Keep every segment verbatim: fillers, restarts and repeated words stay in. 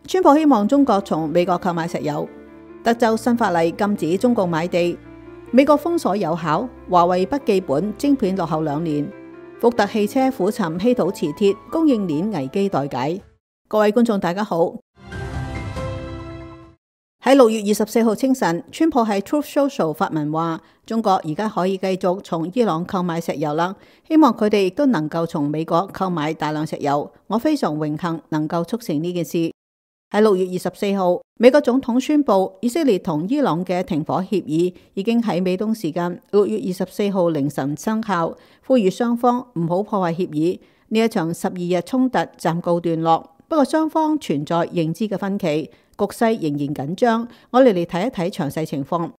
川普希望中國從美國購買石油。德州新法例禁止中共買地。美國封鎖有效，華為筆記本晶片落後兩年。福特汽車苦尋稀土磁鐵，供應鏈危機待解。各位觀眾大家好。喺六月二十四號清晨，川普喺 Truth Social 發文話，中國而家可以繼續從伊朗購買石油啦，希望佢哋亦都能夠從美國購買大量石油。我非常榮幸能夠促成呢件事。喺六月二十四號，美國總統宣布以色列同伊朗嘅停火協議已經喺美東時間六月二十四號凌晨生效，呼籲雙方唔好破壞協議。呢一場十二日衝突暫告段落，不過雙方存在認知嘅分歧，局勢仍然緊張。我哋嚟睇一睇詳細情況。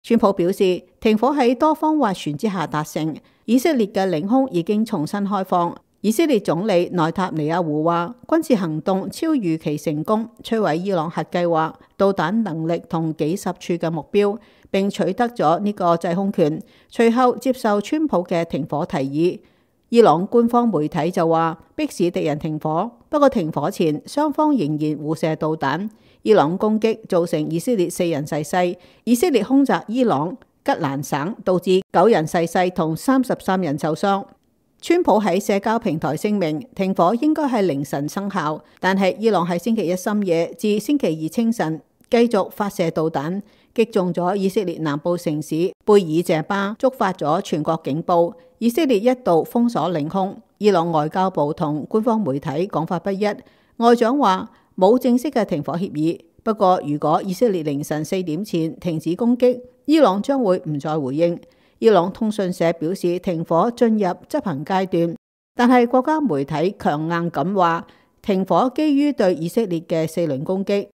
川普表示，停火喺多方斡旋之下達成，以色列嘅領空已經重新開放。以色列總理內塔尼亞胡話，軍事行動超預期成功，摧毀伊朗核計劃、導彈能力同幾十處嘅目標，並取得咗呢個制空權。隨後接受川普嘅停火提議。伊朗官方媒體就話，迫使敵人停火，不過停火前雙方仍然互射導彈。伊朗攻擊造成以色列四人逝世，以色列空襲伊朗吉蘭省，導致九人逝世同三十三人受傷。川普喺社交平台聲明，停火應該係凌晨生效，但係伊朗喺星期一深夜至星期二清晨繼續發射導彈，擊中咗以色列南部城市貝爾謝巴，觸發咗全國警報。以色列一度封鎖領空。伊朗外交部同官方媒體講法不一，外長話冇正式嘅停火協議，不過如果以色列凌晨四點前停止攻擊，伊朗將會唔再回應。伊朗通訊社表示停火進入執行階段，但係國家媒體強硬咁話停火基於對以色列嘅四輪攻擊。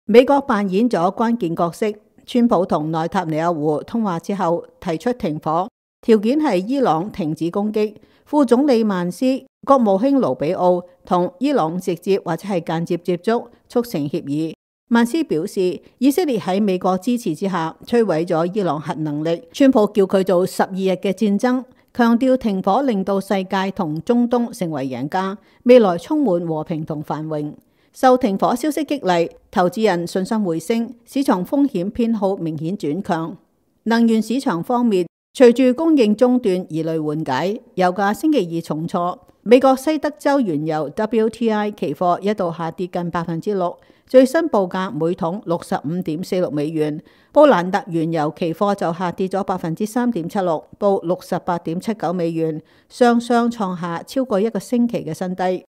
美國扮演咗關鍵角色，川普同內塔尼亞胡通話之後提出停火，條件係伊朗停止攻擊。副總理曼斯、國務卿盧比奧同伊朗直接或者係間接接觸，促成協議。曼斯表示，以色列喺美國支持之下摧毀咗伊朗核能力。川普叫佢做十二日嘅戰爭，強調停火令到世界同中東成為贏家，未來充滿和平同繁榮。受停火消息激勵，投資人信心回升，市場風險偏好明顯轉強。能源市場方面，隨住供應中斷疑慮緩解，油價星期二重挫。美國西德州原油 W T I 期貨一度下跌近百分之六，最新報價每桶六十五點四六美元。布蘭特原油期貨就下跌咗百分之三點七六，報六十八點七九美元，雙雙創下超過一個星期嘅新低。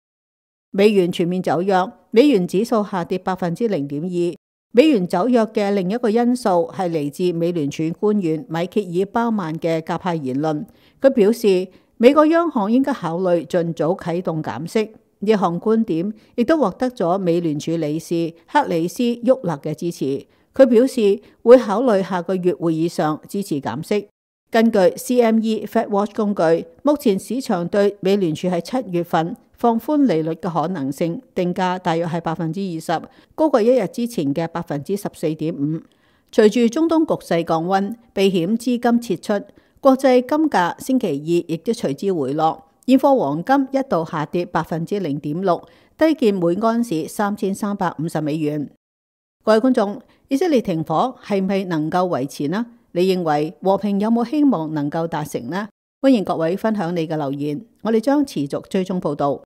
美元全面走弱，美元指數下跌百分之零點二。美元走弱嘅另一個因素係嚟自美聯儲官員米歇爾鮑曼嘅鴿派言論。佢表示，美國央行應該考慮盡早啟動減息，呢項觀點亦都獲得咗美聯儲理事克里斯沃勒嘅支持。佢表示會考慮下個月會議上支持減息。根據 C M E FedWatch 工具，目前市場對美聯儲喺七月份放寬利率嘅可能性定價大約係百分之二十，高過一日之前嘅百分之十四點五。隨住中東局勢降溫，避險資金撤出。國際金價星期二亦都隨之回落，現貨黃金一度下跌百分之零點六，低見每安士三千三百五十美元。各位觀眾，以色列停火係唔係能夠維持呢？你認為和平有冇希望能夠達成呢？歡迎各位分享你嘅留言，我哋將持續追蹤報道。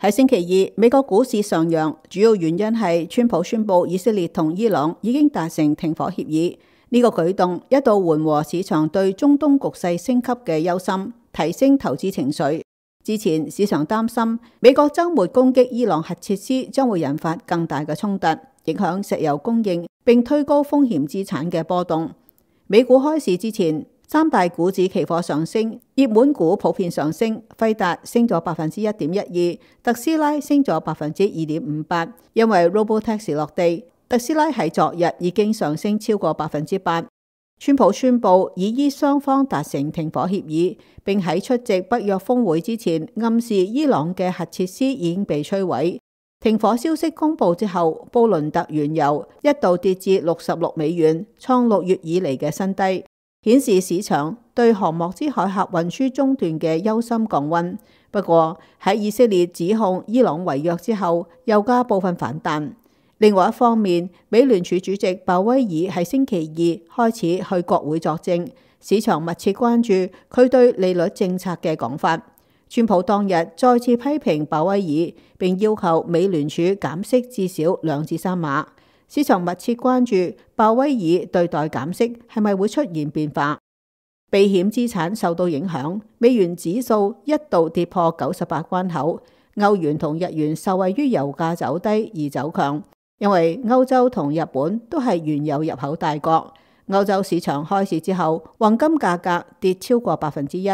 喺星期二，美國股市上揚，主要原因係川普宣布以色列同伊朗已經達成停火協議。呢、這個舉動一度緩和市場對中東局勢升級嘅憂心，提升投資情緒。之前市場擔心美國週末攻擊伊朗核設施將會引發更大嘅衝突，影響石油供應，並推高風險資產嘅波動。美股開市之前，三大股指期貨上升，熱門股普遍上升，輝達升咗百分之一點一二，特斯拉升咗百分之二點五八，因為 Robotaxi 落地，特斯拉喺昨日已經上升超過百分之八。川普宣布已依雙方達成停火協議，並喺出席北約峰會之前暗示伊朗嘅核設施已經被摧毀。停火消息公布之後，布倫特原油一度跌至六十六美元，創六月以嚟嘅新低，顯示市場對航莫茲海峽運輸中斷嘅憂心降溫。不過喺以色列指控伊朗違約之後，油價部分反彈。另外一方面，美聯儲主席鮑威爾喺星期二開始去國會作證，市場密切關注佢對利率政策嘅講法。川普當日再次批評鮑威爾，並要求美聯儲減息至少兩至三碼。市場密切關注鮑威爾對待減息係咪會出現變化。避險資產受到影響，美元指數一度跌破九十八關口。歐元同日元受惠於油價走低而走強，因為歐洲同日本都係原油入口大國。歐洲市場開市之後，黃金價格跌超過百分之一。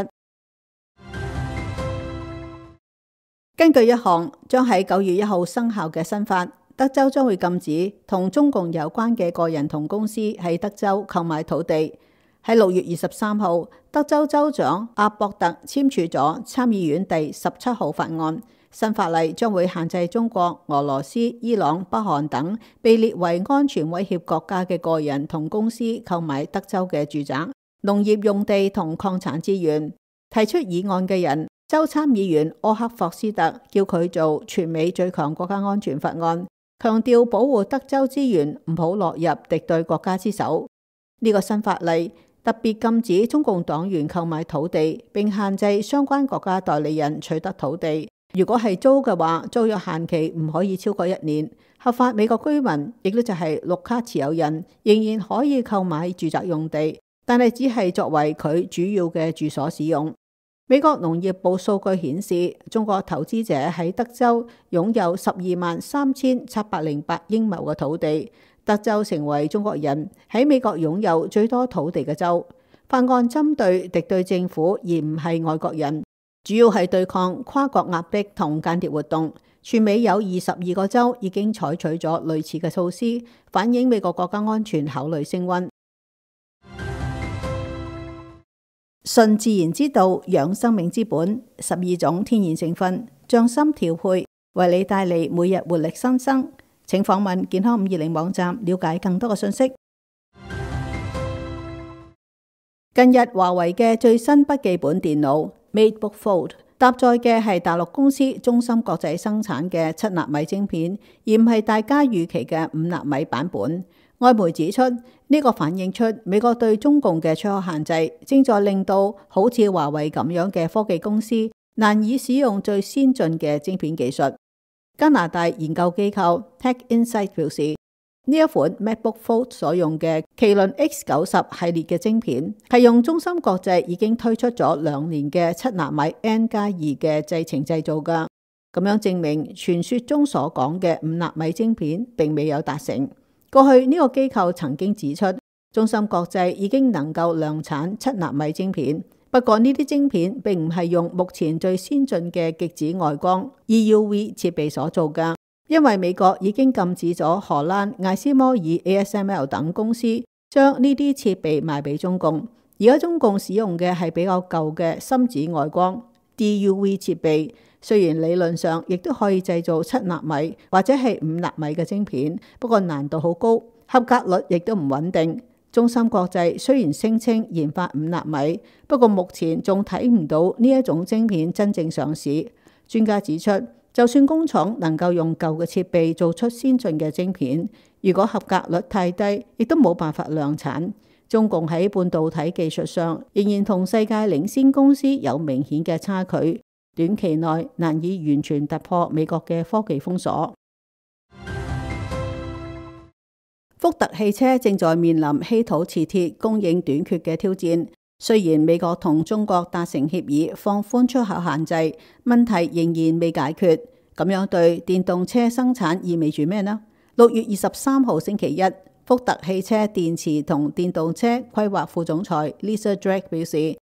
根據一項將喺九月一號生效嘅新法，德州將會禁止同中共有關嘅個人同公司喺德州購買土地。喺六月二十三號，德州州長阿博特簽署咗參議院第十七號法案，新法例將會限制中國、俄羅斯、伊朗、北韓等被列為安全威脅國家嘅個人同公司購買德州嘅住宅、農業用地同礦產資源。提出議案嘅人，州參議員柯克霍斯特叫佢做全美最強國家安全法案，強調保護德州資源唔好落入敵對國家之手。呢個新法例特別禁止中共黨員購買土地，並限制相關國家代理人取得土地。如果係租嘅話，租約限期唔可以超過一年。合法美國居民，亦都就係綠卡持有人，仍然可以購買住宅用地，但係只係作為佢主要嘅住所使用。美國農業部數據顯示，中國投資者喺德州擁有十二萬三千七百零八英畝嘅土地，德州成為中國人喺美國擁有最多土地嘅州。法案針對敵對政府而唔係外國人，主要係對抗跨國壓迫同間諜活動。全美有二十二個州已經採取咗類似嘅措施，反映美國國家安全考慮升溫。順自然之道，養生命之本，十二種天然成分，匠心調配，為你帶嚟每日活力新生。請訪問健康五二零網站了解更多嘅信息。近日華為嘅最新筆記本電腦 MateBook Fold 搭載嘅係大陸公司中芯國際生產嘅七納米晶片，而唔係大家預期嘅五納米版本。外媒指出，呢、這個反映出美國對中共嘅出口限制，正在令到好似華為咁樣嘅科技公司難以使用最先進嘅晶片技術。加拿大研究機構 Tech Insight 表示，呢一款 MacBook Fold 所用嘅麒麟 X 九十系列嘅晶片，係用中芯國際已經推出咗兩年嘅七納米 N 加二嘅製程製造㗎。咁樣證明傳說中所講嘅五納米晶片並未有達成。過去呢個機構曾經指出，中芯國際已經能夠量產七納米晶片，不過呢啲晶片並唔係用目前最先進嘅極紫外光 E U V 設備所做㗎，因為美國已經禁止咗荷蘭艾斯摩爾 A S M L 等公司將呢啲設備賣俾中共。而家中共使用嘅係比較舊嘅深紫外光 D U V 設備。雖然理論上亦都可以製造七納米或者係五納米嘅晶片，不過難度好高，合格率亦都唔穩定。中芯國際雖然聲稱研發五納米，不過目前仲睇唔到呢一種晶片真正上市。專家指出，就算工廠能夠用舊嘅設備做出先進嘅晶片，如果合格率太低，亦都冇辦法量產。中共喺半導體技術上仍然同世界領先公司有明顯嘅差距。短期內難以完全突破美國嘅科技封鎖。福特汽車正在面臨稀土磁鐵供應短缺嘅挑戰。雖然美國同中國達成協議放寬出口限制，問題仍然未解決。咁樣對電動車生產意味住咩呢？六月二十三號星期一，福特汽車電池同電動車規劃副總裁 Lisa Drake 表示，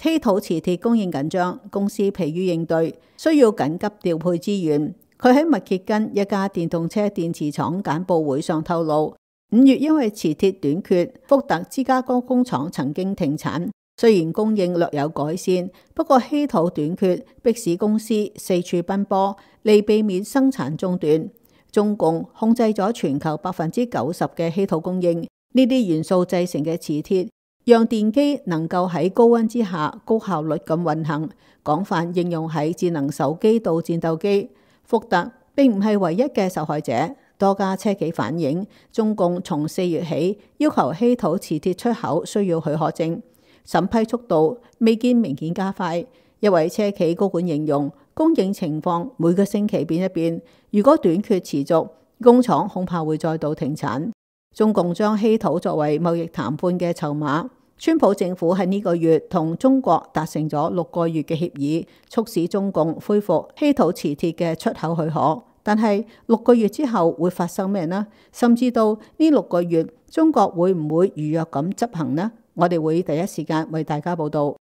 稀土磁鐵供應緊張，公司疲於應對，需要緊急調配資源。佢喺密歇根一家電動車電池廠簡報會上透露，五月因為磁鐵短缺，福特芝加哥工廠曾經停產。雖然供應略有改善，不過稀土短缺迫使公司四處奔波，嚟避免生產中斷。中共控制咗全球百分之九十嘅稀土供應，呢啲元素製成嘅磁鐵讓電機能夠喺高溫之下高效率咁運行，廣泛應用喺智能手機到戰鬥機。福特並唔係唯一嘅受害者，多家車企反映，中共從四月起要求稀土磁鐵出口需要許可證，審批速度未見明顯加快。一位車企高管形容，供應情況每個星期變一變，如果短缺持續，工廠恐怕會再度停產。中共將稀土作為貿易談判嘅籌碼，川普政府喺呢個月同中國達成咗六個月嘅協議，促使中共恢復稀土磁鐵嘅出口許可。但係六個月之後會發生咩呢？甚至到呢六個月，中國會唔會如約咁執行呢？我哋會第一時間為大家報道。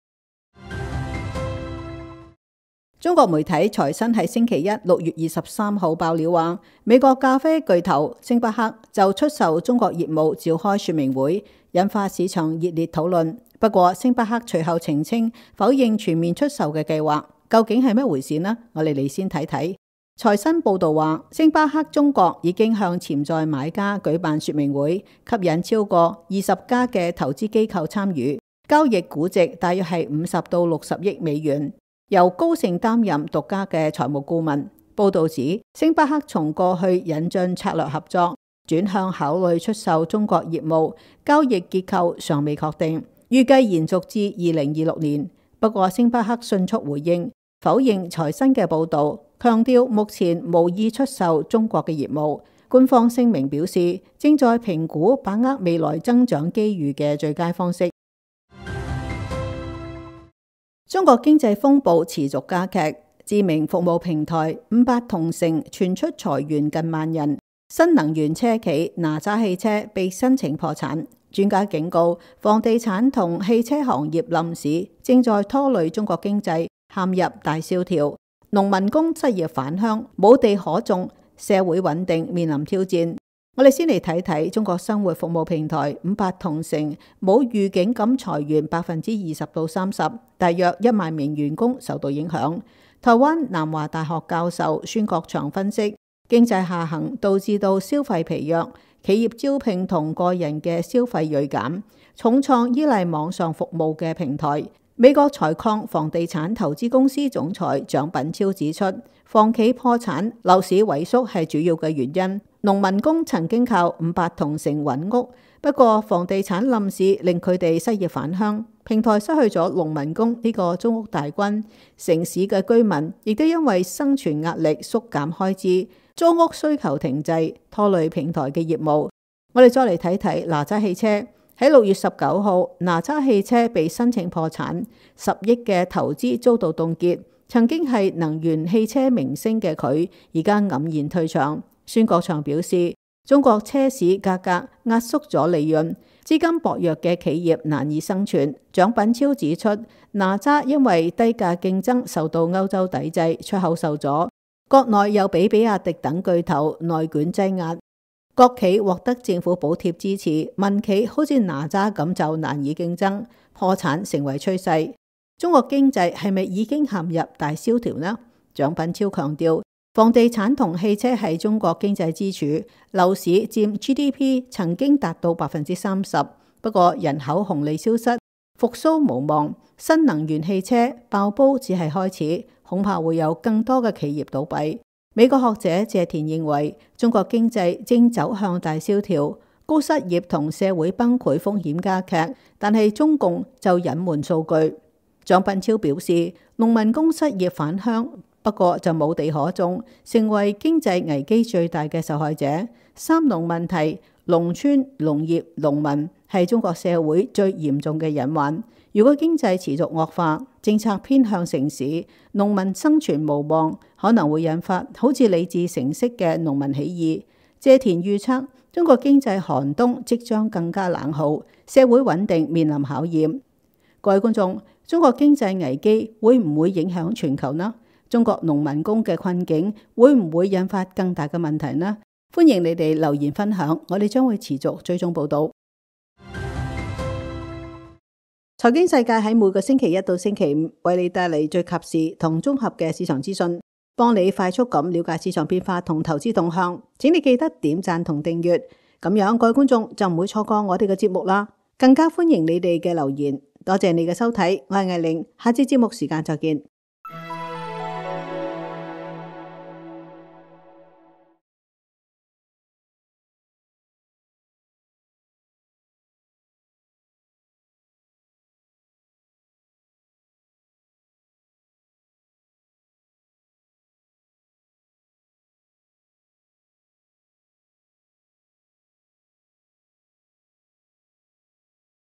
中國媒體財新喺星期一六月二十三號爆料話，美國咖啡巨頭星巴克就出售中國業務召開說明會，引發市場熱烈討論。不過星巴克隨後澄清否認全面出售嘅計劃，究竟係咩回事呢？我哋嚟先睇睇。財新報道話，星巴克中國已經向潛在買家舉辦說明會，吸引超過二十家嘅投資機構參與，交易估值大約係五十到六十億美元。由高盛擔任獨家嘅財務顧問。報導指，星巴克從過去引進策略合作，轉向考慮出售中國業務，交易結構尚未確定，預計延續至二零二六年。不過，星巴克迅速回應，否認財新嘅報導，強調目前無意出售中國嘅業務。官方聲明表示，正在評估把握未來增長機遇嘅最佳方式。中國經濟風暴持續加劇，知名服務平台五八同城傳出裁員近萬人，新能源車企哪吒汽車被申請破產。專家警告，房地產同汽車行業冧市正在拖累中國經濟陷入大蕭條，農民工失業返鄉，冇地可種，社會穩定面臨挑戰。我哋先嚟睇睇中國生活服務平台五八同城冇預警咁裁員百分之二十到三十，大約一萬名員工受到影響。台灣南華大學教授孫國祥分析，經濟下行導致到消費疲弱，企業招聘同個人嘅消費銳減，重創依賴網上服務嘅平台。美國採礦房地產投資公司總裁蔣品超指出，房企破產、樓市萎縮係主要嘅原因。農民工曾經靠五八同城揾屋，不過房地產冧市令佢哋失業返鄉，平台失去咗農民工呢個租屋大軍。城市嘅居民亦都因為生存壓力縮減開支，租屋需求停滯，拖累平台嘅業務。我哋再嚟睇睇哪吒汽車。喺六月十九號，哪吒汽車被申請破產，十億嘅投資遭到凍結。曾經係能源汽車明星嘅佢，而家黯然退場。孫國祥表示，中國車市價格壓縮咗利潤，資金薄弱嘅企業難以生存。蔣品超指出，哪吒因為低價競爭受到歐洲抵制，出口受阻，國內又俾比亞迪等巨頭內卷擠壓。國企獲得政府補貼支持，民企好似哪吒咁就難以競爭，破產成為趨勢。中國經濟係咪已經陷入大蕭條呢？蔣品超強調，房地產同汽車係中國經濟支柱，樓市佔 G D P 曾經達到百分之三十。不過人口紅利消失，復甦無望，新能源汽車爆煲只係開始，恐怕會有更多嘅企業倒閉。美國學者謝田認為，中國經濟正走向大蕭條，高失業同社會崩潰風險加劇，但係中共就隱瞞數據。蔣品超表示，農民工失業返鄉，不過就冇地可種，成為經濟危機最大嘅受害者。三農問題，農村、農業、農民係中國社會最嚴重嘅隱患。如果經濟持續惡化，政策偏向城市，農民生存無望，可能會引發好似李自成式嘅農民起義。謝田預測，中國經濟寒冬即將更加冷酷，社會穩定面臨考驗。各位觀眾，中國經濟危機會唔會影響全球呢？中國農民工嘅困境會唔會引發更大嘅問題呢？歡迎你哋留言分享，我哋將會持續追蹤報道。財經世界喺每個星期一到星期五為你帶嚟最及時同綜合嘅市場資訊，幫你快速咁了解市場變化同投資動向。請你記得點讚同訂閱，咁樣各位觀眾就唔會錯過我哋嘅節目啦。更加歡迎你哋嘅留言。多謝你嘅收睇，我係藝玲，下次節目時間再見。